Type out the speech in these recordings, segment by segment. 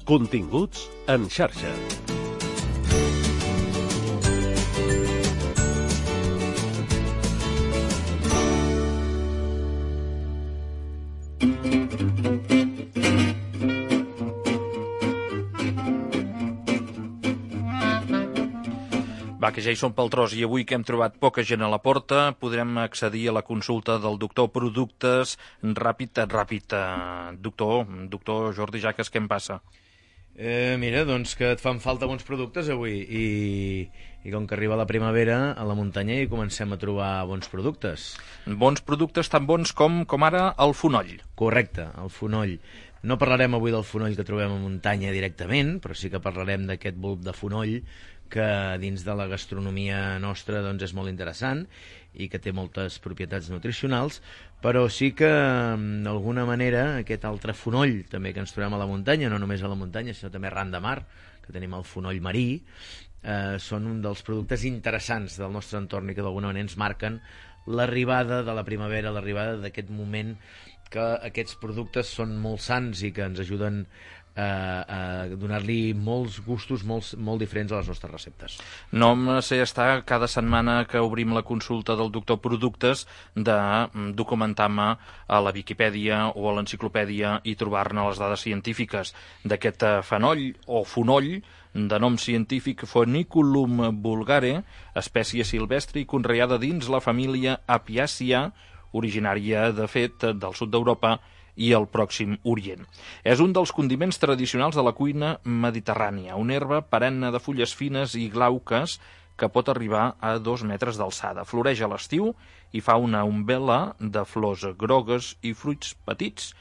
Continguts en xarxa. Va, que ja hi som pel tros i avui que hem trobat poca gent a la porta podrem accedir a la consulta del doctor Productes ràpid. Doctor Jordi Jaques, què em passa? Mira, doncs que et fan falta bons productes avui i com que arriba la primavera a la muntanya i comencem a trobar bons productes. Bons productes tan bons com ara el fonoll. Correcte, el fonoll. No parlarem avui del fonoll que trobem a muntanya directament, però sí que parlarem d'aquest bulb de fonoll que dins de la gastronomia nostra doncs, és molt interessant i que té moltes propietats nutricionals, però sí que d'alguna manera aquest altre fonoll també que ens trobem a la muntanya, no només a la muntanya sinó també arran de mar, que tenim el fonoll marí, són un dels productes interessants del nostre entorn i que d'alguna manera ens marquen l'arribada de la primavera, l'arribada d'aquest moment que aquests productes són molt sans i que ens ajuden a donar-li molts gustos molt diferents a les nostres receptes. No em sé estar cada setmana que obrim la consulta del doctor Productes de documentar-me a la Viquipèdia o a l'enciclopèdia i trobar-ne les dades científiques d'aquest fenoll o fonoll de nom científic Phoniculum vulgare, espècie silvestre i conreada dins la família Apiàcia, originària, de fet, del sud d'Europa i el Pròxim Orient. És un dels condiments tradicionals de la cuina mediterrània, una herba perenne de fulles fines i glauques que pot arribar a 2 metres d'alçada. Floreix a l'estiu i fa una umbel·la de flors grogues i fruits petits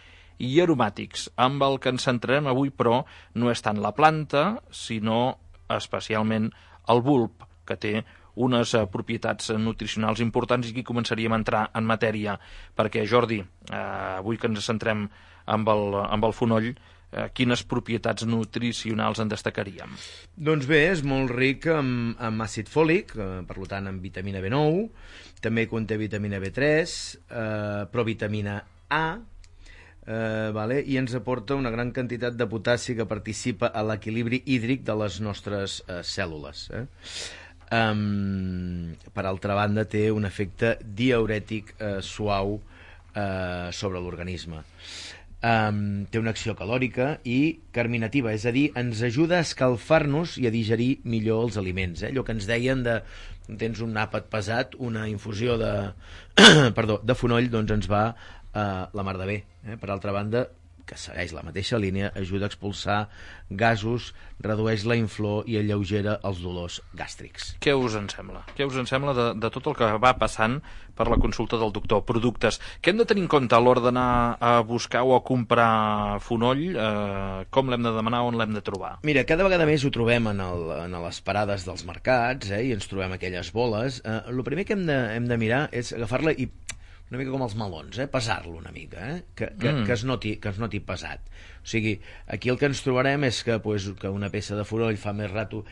i aromàtics. Amb el que ens centrarem avui, però, no és tant la planta, sinó especialment el bulb, que té unes propietats nutricionals importants, i aquí començaríem a entrar en matèria, perquè, Jordi, avui que ens centrem amb el fonoll, quines propietats nutricionals en destacaríem? Doncs bé, és molt ric amb àcid fòlic, per tant amb vitamina B9, també conté vitamina B3, provitamina A, i ens aporta una gran quantitat de potassi que participa a l'equilibri hídric de les nostres cèl·lules. Per altra banda, té un efecte diürètic suau sobre l'organisme. Té una acció calòrica i carminativa, és a dir, ens ajuda a escalfar-nos i a digerir millor els aliments. Allò que ens deien de tens un àpat pesat, una infusió de fonoll doncs ens va la mar de bé. Per altra banda, que segueix la mateixa línia, ajuda a expulsar gasos, redueix la inflor i alleugera els dolors gàstrics. Què us en sembla? Què us en sembla de tot el que va passant per la consulta del doctor Productes? Què hem de tenir en compte a l'hora d'anar a buscar o a comprar fonoll? Com l'hem de demanar, on l'hem de trobar? Mira, cada vegada més ho trobem en les parades dels mercats, i ens trobem aquelles boles. El primer que hem de mirar és agafar-la i una mica com els melons, pesar-lo una mica, que es noti pesat. O sigui, aquí el que ens trobarem és que una peça de fonoll fa més rato,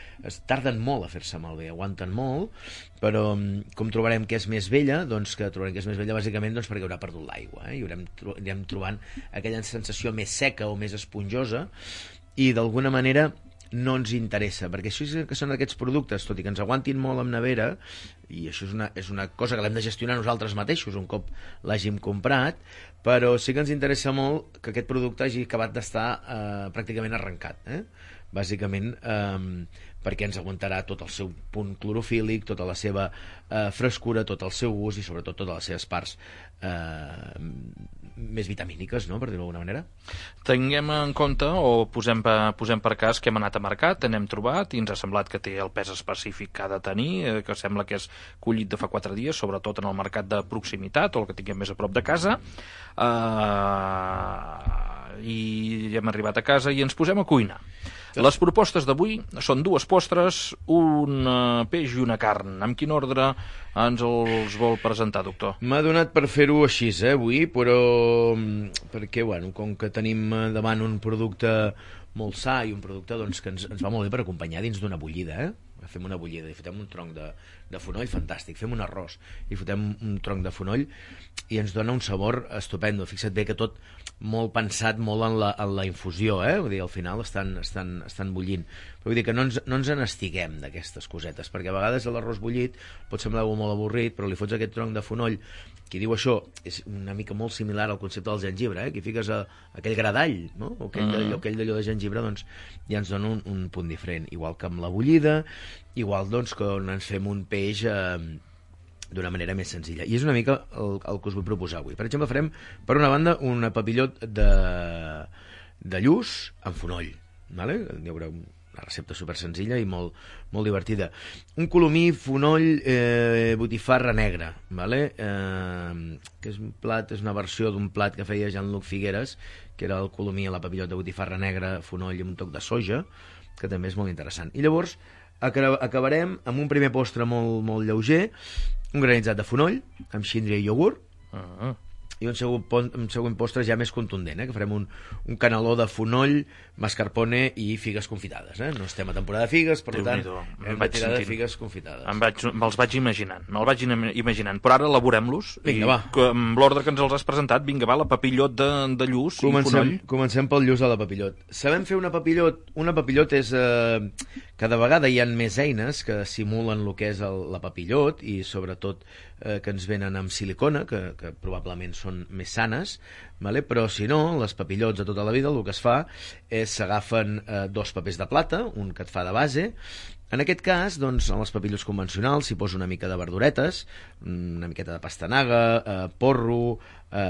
tarden molt a fer-se malbé, aguanten molt, però com trobarem que és més vella, doncs que trobarem que és més vella bàsicament perquè haurà perdut l'aigua, i anirem trobant aquella sensació més seca o més esponjosa, i d'alguna manera no ens interessa, perquè això és que són aquests productes, tot i que ens aguantin molt en nevera, i això és una cosa que l'hem de gestionar nosaltres mateixos un cop l'hàgim comprat, però sí que ens interessa molt que aquest producte hagi acabat d'estar pràcticament arrencat, bàsicament perquè ens aguantarà tot el seu punt clorofílic, tota la seva frescura, tot el seu gust i sobretot totes les seves parts més vitamíniques, no?, per dir-ho d'alguna manera. Tinguem en compte, o posem per cas que hem anat a mercat, n'hem trobat i ens ha semblat que té el pes específic que ha de tenir, que sembla que és collit de fa 4 dies, sobretot en el mercat de proximitat o el que tinguem més a prop de casa, i hem arribat a casa i ens posem a cuinar. Les propostes d'avui són 2 postres, un peix i una carn. Amb quin ordre ens els vol presentar, doctor? M'ha donat per fer-ho així, avui, però perquè, com que tenim davant un producte molt sa i un producte que ens va molt bé per acompanyar dins d'una bullida, fem una bullida i fotem un tronc de fonoll fantàstic, fem un arròs i fotem un tronc de fonoll i ens dona un sabor estupendo. Fixa't bé que tot molt pensat molt en la infusió, vull dir, al final estan bullint. Però vull dir que no ens n'estiguem d'aquestes cosetes, perquè a vegades l'arròs bullit pot semblar molt avorrit, però li fots aquest tronc de fonoll. Qui diu això és una mica molt similar al concepte del gengibre, que fiques aquell gra d'all, no? O aquell d'allò de gengibre, doncs ja ens dona un punt diferent. Igual que amb la bullida, igual doncs que ens fem un peix d'una manera més senzilla. I és una mica el que us vull proposar avui. Per exemple, farem, per una banda, una papillot de lluç amb fonoll. Vale? Hi haurà una recepta super senzilla i molt divertida. Un colomí, fonoll, botifarra negra, vale? Que és un plat, és una versió d'un plat que feia Jean-Luc Figueres, que era el colomí a la papillot de botifarra negra, fonoll amb un toc de soja, que també és molt interessant. I llavors acabarem amb un primer postre molt lleuger, un granitzat de fonoll amb síndria i iogurt, i un següent postre ja més contundent, que farem un caneló de fonoll, mascarpone i figues confitades. No estem a temporada de figues, per tant, hem de tirar de figues confitades. Me'ls vaig imaginant, però ara elaborem-los. Vinga, va. Amb l'ordre que ens els has presentat, vinga, va, la papillot de lluç i fonoll. Comencem pel lluç de la papillot. Sabem fer una papillot? Una papillot és... cada vegada hi ha més eines que simulen el que és la papillot i sobretot que ens venen amb silicona, que probablement són més sanes, vale? Però si no, les papillots de tota la vida el que es fa és s'agafen 2 papers de plata, un que et fa de base. En aquest cas, doncs, en les papillots convencionals s'hi posa una mica de verduretes, una miqueta de pastanaga, porro,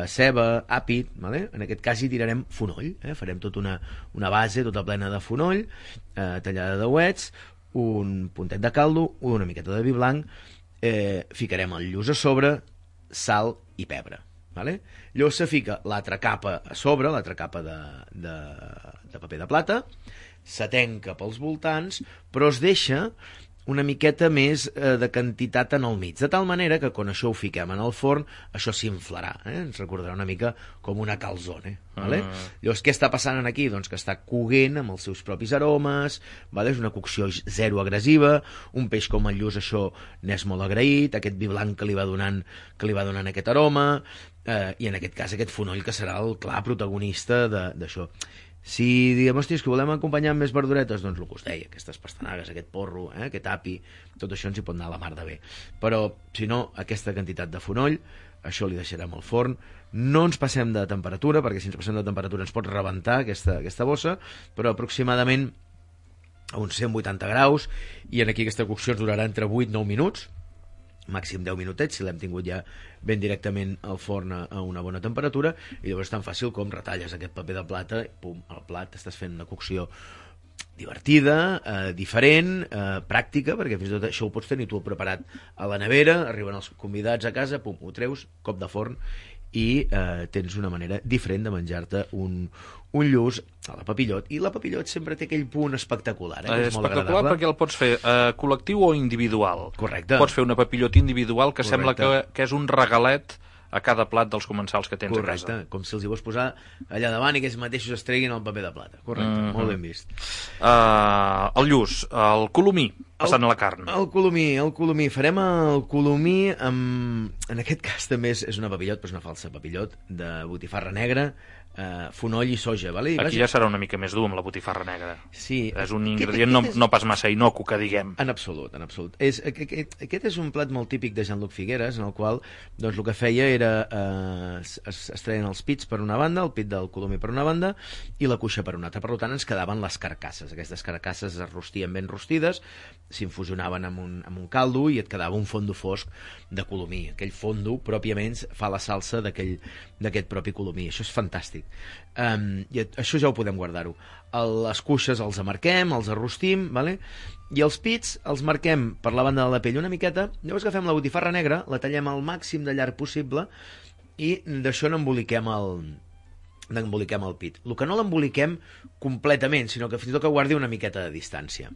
ceba, àpid, vale? En aquest cas hi tirarem fonoll, farem tota una base tota plena de fonoll, tallada de uets, un puntet de caldo, una miqueta de vi blanc, ficarem el lluç a sobre, sal i pebre. Vale? Llavors se fica l'altra capa a sobre, l'altra capa de paper de plata, se tanca pels voltants, però es deixa una miqueta més de quantitat en el mig, de tal manera que quan això ho fiquem en el forn, això s'inflarà, ens recordarà una mica com una calzone. Vale? Llavors, què està passant aquí? Doncs que està coguent amb els seus propis aromes, vale? És una cocció zero agressiva, un peix com el lluç això n'és molt agraït, aquest vi blanc que li va donant aquest aroma, i en aquest cas aquest fonoll que serà el clar protagonista d'això. Si diguem, hòsties, que volem acompanyar amb més verduretes, doncs el que us deia, aquestes pastanagues, aquest porro, aquest api, tot això ens hi pot anar a la mar de bé. Però, si no, aquesta quantitat de fonoll, això li deixarem al forn. No ens passem de temperatura, perquè si ens passem de temperatura ens pot rebentar aquesta bossa, però aproximadament a uns 180 graus, i en aquí aquesta cocció ens durarà entre 8 i 9 minuts, màxim 10 minutets, si l'hem tingut ja ben directament al forn a una bona temperatura, i llavors és tan fàcil com retalles aquest paper de plata, pum, al plat, estàs fent una cocció divertida, diferent, pràctica, perquè fins i tot això ho pots tenir tu preparat a la nevera, arriben els convidats a casa, pum, ho treus, cop de forn, i tens una manera diferent de menjar-te un lluç a la papillot, i la papillot sempre té aquell punt espectacular, que és molt espectacular agradable. Perquè el pots fer col·lectiu o individual. Correcte. Pots fer una papillot individual que sembla que és un regalet a cada plat dels comensals que tens a casa. Correcte, com si els hi vols posar allà davant i que ells mateixos es treguin el paper de plata. Correcte, molt ben vist. El lluç, el colomí, passant a la carn. El colomí. Farem el colomí amb... En aquest cas també és una papillot, però és una falsa papillot, de botifarra negra, fonoll i soja. Vale? Aquí ja serà una mica més dur amb la botifarra negra. Sí. És un ingredient no pas massa inocu, que diguem. En absolut. Aquest és un plat molt típic de Jean-Luc Figueres, en el qual doncs, el que feia era es treien els pits per una banda, el pit del colomí per una banda i la cuixa per una altra. Per tant, ens quedaven les carcasses. Aquestes carcasses es rostien ben rostides, s'infusionaven amb un caldo i et quedava un fondo fosc de colomí. Aquell fondo pròpiament fa la salsa d'aquest propi colomí. Això és fantàstic. I això ja ho podem guardar-ho. Les cuixes els amarquem, els arrostim, vale? I els pits els marquem per la banda de la pell una miqueta, llavors agafem la botifarra negra, la tallem al màxim de llarg possible i d'això n'emboliquem el pit. El que no l'emboliquem completament, sinó que fins i tot que guardi una miqueta de distància.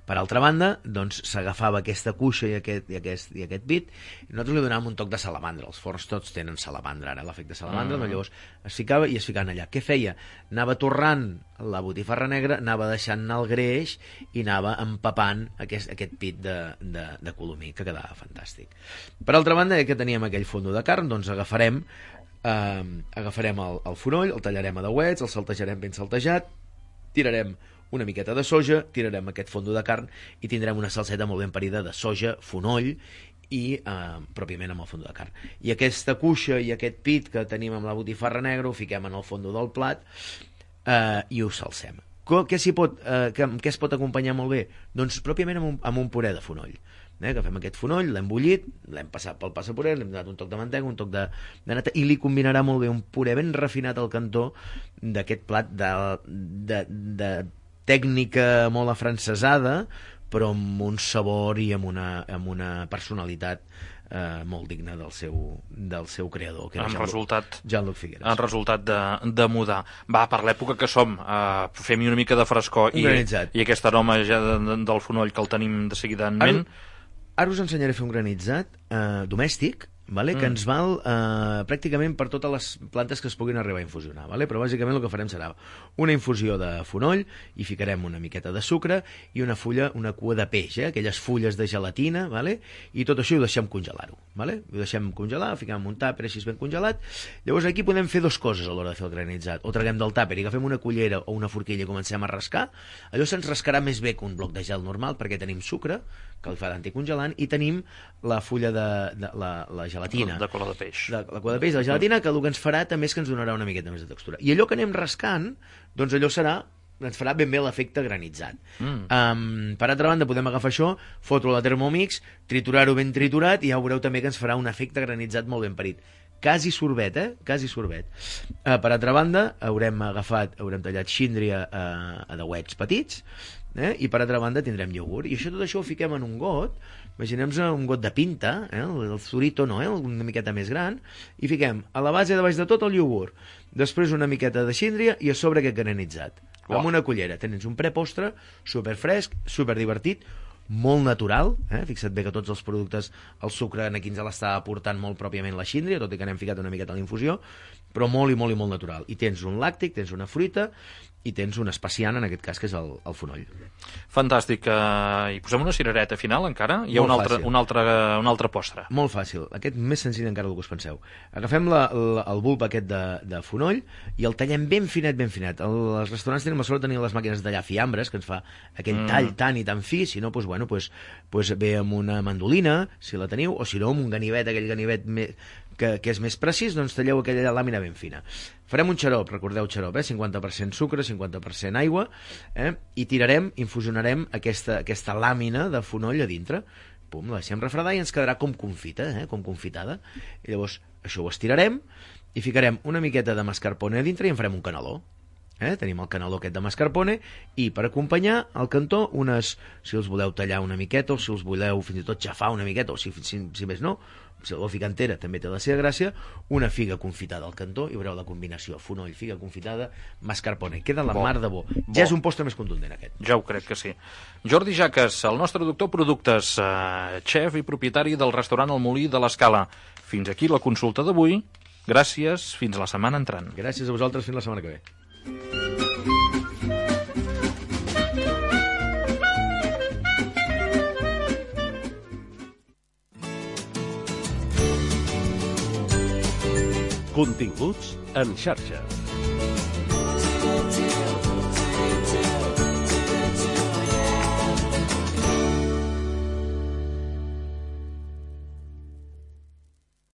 Per altra banda, doncs, s'agafava aquesta cuixa i aquest pit i nosaltres li donàvem un toc de salamandra. Els forns tots tenen salamandra, ara l'efecte salamandra, doncs llavors es ficava i es ficaven allà. Què feia? Anava torrant la botifarra negra, anava deixant anar el greix i anava empapant aquest pit de colomí, que quedava fantàstic. Per altra banda, que teníem aquell fondo de carn, doncs agafarem agafarem el fonoll, el tallarem a dauets, el saltejarem ben saltejat, tirarem una miqueta de soja, tirarem aquest fondo de carn i tindrem una salseta molt ben parida de soja, fonoll i pròpiament amb el fondo de carn. I aquesta cuixa i aquest pit que tenim amb la botifarra negra ho fiquem en el fondo del plat i ho salsem. Què es pot acompanyar molt bé? Doncs pròpiament amb un puré de fonoll. Agafem aquest fonoll, l'hem bullit, l'hem passat pel passapuré, l'hem donat un toc de mantega, un toc de nata, i li combinarà molt bé un puré ben refinat al cantó d'aquest plat de tècnica molt afrancesada, però amb un sabor i amb una personalitat molt digna del seu creador, que era Jean-Luc Figueras. En resultat de mudar. Va, per l'època que som, fem-hi una mica de frescor i aquest aroma ja del fonoll que el tenim de seguida en ment. Ara us ensenyaré a fer un granitzat domèstic, que ens val pràcticament per totes les plantes que es puguin arribar a infusionar, però bàsicament el que farem serà una infusió de fonoll, hi ficarem una miqueta de sucre i una cua de peix, aquelles fulles de gelatina, i tot això ho deixem congelar-ho, ho deixem congelar, ho fiquem en un tàper així ben congelat. Llavors aquí podem fer dues coses a l'hora de fer el granitzat: o traguem del tàper i agafem una cullera o una forquilla i comencem a rascar. Allò se'ns rascarà més bé que un bloc de gel normal perquè tenim sucre que el fa d'anticongelant i tenim la fulla de la gelatina. De cola de peix. La cola de peix de la gelatina, que el que ens farà també és que ens donarà una miqueta més de textura. I allò que anem rascant, doncs allò ens farà ben bé l'efecte granitzat. Per altra banda, podem agafar això, fotre-ho a la Thermomix, triturar-ho ben triturat i ja veureu també que ens farà un efecte granitzat molt ben parit. Quasi sorbet, quasi sorbet. Per altra banda, haurem tallat síndria a dauets petits, i per altra banda tindrem iogurt. I tot això ho fiquem en un got, imaginem-nos un got de pinta, el Zurito no, una miqueta més gran, i fiquem a la base de baix de tot el iogurt, després una miqueta de síndria i a sobre aquest granitzat. Amb una cullera. Tens un prepostre superfresc, superdivertit, molt natural, fixa't bé que tots els productes, el sucre aquí ens l'està aportant molt pròpiament la síndria, tot i que n'hem ficat una miqueta a l'infusió, però molt i molt i molt natural. I tens un làctic, tens una fruita i tens un especiant, en aquest cas, que és el fonoll. Fantàstic. I posem una cirereta final, encara? Hi ha un altre postre. Molt fàcil. Aquest més senzill encara del que us penseu. Agafem el bulb aquest de fonoll i el tallem ben finet, ben finet. Els restaurants tenen la sort de tenir les màquines de tallar fiambres, que ens fa aquell tall tan i tan fi. Si no, doncs ve amb una mandolina, si la teniu, o si no, amb un ganivet, aquell ganivet que és més precís, doncs talleu aquella làmina ben fina. Farem un xarop, recordeu xarop, 50% sucre, 50% aigua, i infusionarem aquesta làmina de fonoll a dintre. Pum, la deixem refredar i ens quedarà com confita, com confitada. I llavors això ho estirarem i ficarem una miqueta de mascarpone a dintre i en farem un caneló. Tenim el caneló aquest de mascarpone i per acompanyar al cantó si els voleu tallar una miqueta o si els voleu fins i tot xafar una miqueta o si més no, si la fica entera també té la seva gràcia, una figa confitada al cantó i veureu la combinació fonoll, figa confitada, mascarpone, queda la mar de bo. Ja és un postre més contundent aquest. Ja ho crec que sí. Jordi Jaques, el nostre doctor productes, xef i propietari del restaurant El Molí de l'Escala. Fins aquí la consulta d'avui. Gràcies, fins la setmana entrant. Gràcies a vosaltres, fins la setmana que ve. Continguts en xarxa.